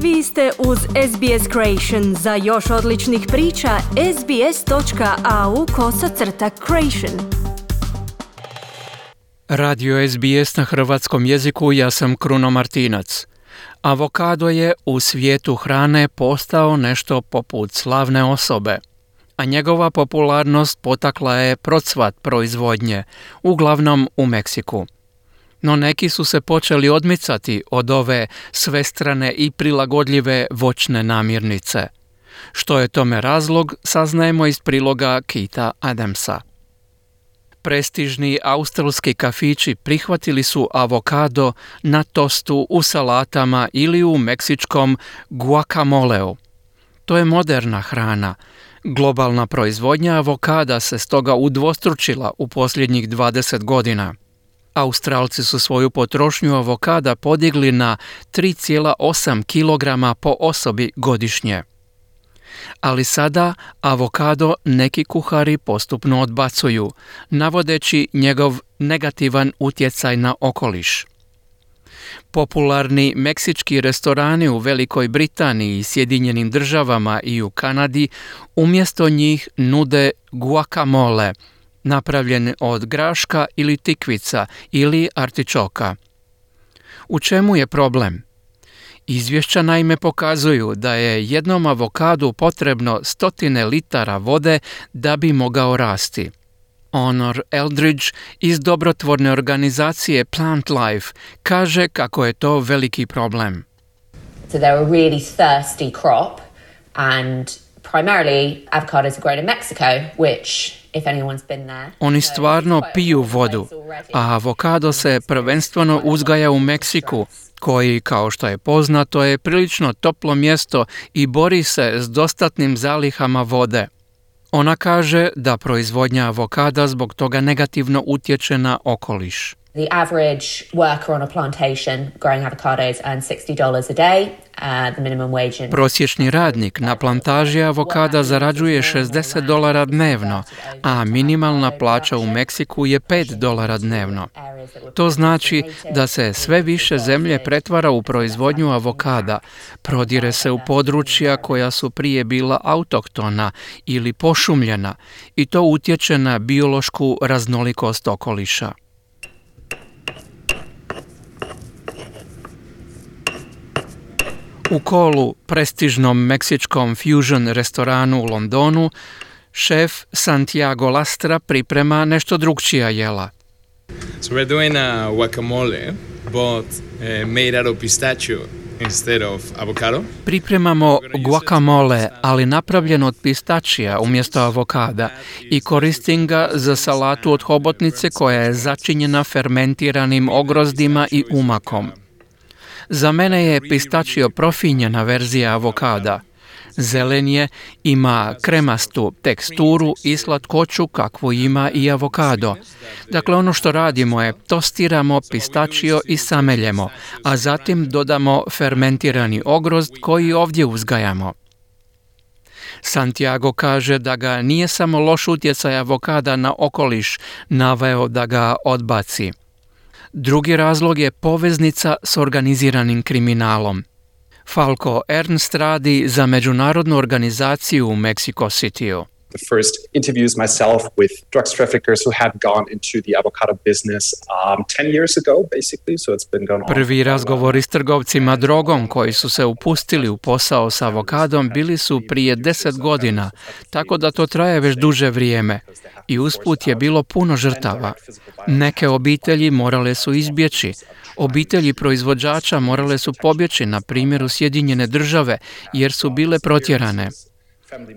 Vi ste uz SBS Creation. Za još odličnih priča, sbs.au/creation. Radio SBS na hrvatskom jeziku, ja sam Kruno Martinac. Avokado je u svijetu hrane postao nešto poput slavne osobe, a njegova popularnost potakla je procvat proizvodnje, uglavnom u Meksiku. No neki su se počeli odmicati od ove svestrane i prilagodljive voćne namirnice. Što je tome razlog, saznajemo iz priloga Keitha Adamsa. Prestižni australski kafići prihvatili su avokado na tostu, u salatama ili u meksičkom guacamoleu. To je moderna hrana. Globalna proizvodnja avokada se stoga udvostručila u posljednjih 20 godina. Australci su svoju potrošnju avokada podigli na 3,8 kg po osobi godišnje. Ali sada avokado neki kuhari postupno odbacuju, navodeći njegov negativan utjecaj na okoliš. Popularni meksički restorani u Velikoj Britaniji, Sjedinjenim Državama i u Kanadi umjesto njih nude guacamole, napravljen od graška ili tikvica ili artičoka. U čemu je problem? Izvješća naime pokazuju da je jednom avokadu potrebno 100 litara vode da bi mogao rasti. Honor Eldridge iz dobrotvorne organizacije Plant Life kaže kako je to veliki problem. So they're a really thirsty crop and primarily avocados are grown in Mexico, which if anyone's been there. Oni stvarno piju vodu, a avokado se prvenstveno uzgaja u Meksiku, koji, kao što je poznato, je prilično toplo mjesto i bori se s dostatnim zalihama vode. Ona kaže da proizvodnja avokada zbog toga negativno utječe na okoliš. The average worker on a plantation growing avocados earns $60 a day. The minimum wage Prosječni radnik na plantaži avokada zarađuje $60 dnevno, a minimalna plaća u Meksiku je $5 dnevno. To znači da se sve više zemlje pretvara u proizvodnju avokada, prodire se u područja koja su prije bila autohtona ili pošumljena i to utječe na biološku raznolikost okoliša. U Kolu, prestižnom meksičkom fusion restoranu u Londonu, šef Santiago Lastra priprema nešto drukčija jela. So we're doing a guacamole, but made out of pistachio instead of avocado. Pripremamo guacamole, ali napravljen od pistačija umjesto avokada i koristim ga za salatu od hobotnice koja je začinjena fermentiranim ogrozdima i umakom. Za mene je pistačio profinjena verzija avokada. Zelen je, ima kremastu teksturu i slatkoću kakvu ima i avokado. Dakle, ono što radimo je tostiramo pistačio i sameljemo, a zatim dodamo fermentirani ogrozd koji ovdje uzgajamo. Santiago kaže da ga nije samo loš utjecaj avokada na okoliš naveo da ga odbaci. Drugi razlog je poveznica s organiziranim kriminalom. Falko Ernst radi za međunarodnu organizaciju u Mexico Cityu. The first interviews myself with drugs traffickers who had gone into the avocado business 10 years ago, basically, so it's been going on. Prvi razgovori s trgovcima drogom koji su se upustili u posao s avokadom bili su prije 10 godina, tako da to traje već duže vrijeme. I usput je bilo puno žrtava. Neke obitelji morale su izbjeći. Obitelji proizvođača morale su pobjeći, na primjer u Sjedinjene Države, jer su bile protjerane.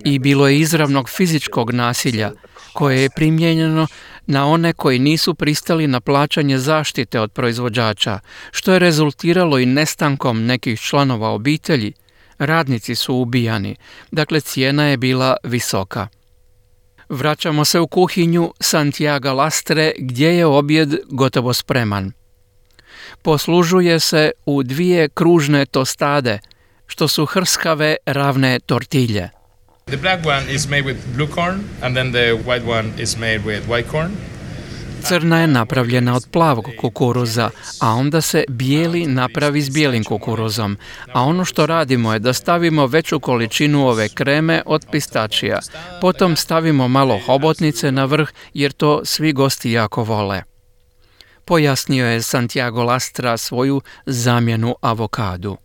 I bilo je izravnog fizičkog nasilja, koje je primijenjeno na one koji nisu pristali na plaćanje zaštite od proizvođača, što je rezultiralo i nestankom nekih članova obitelji. Radnici su ubijani, dakle cijena je bila visoka. Vraćamo se u kuhinju Santiaga Lastre gdje je objed gotovo spreman. Poslužuje se u 2 kružne tostade, što su hrskave ravne tortilje. The black one is made with blue corn and then the white one is made with white corn. Crna je napravljena od plavog kukuruza, a onda se bijeli napravi s bijelim kukuruzom. A ono što radimo je da stavimo veću količinu ove kreme od pistačija. Potom stavimo malo hobotnice na vrh jer to svi gosti jako vole. Pojasnio je Santiago Lastra svoju zamjenu avokadu.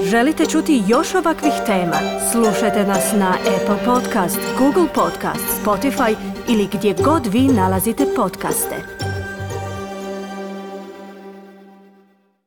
Želite čuti još ovakvih tema? Slušajte nas na Apple Podcast, Google Podcast, Spotify ili gdje god vi nalazite podcaste.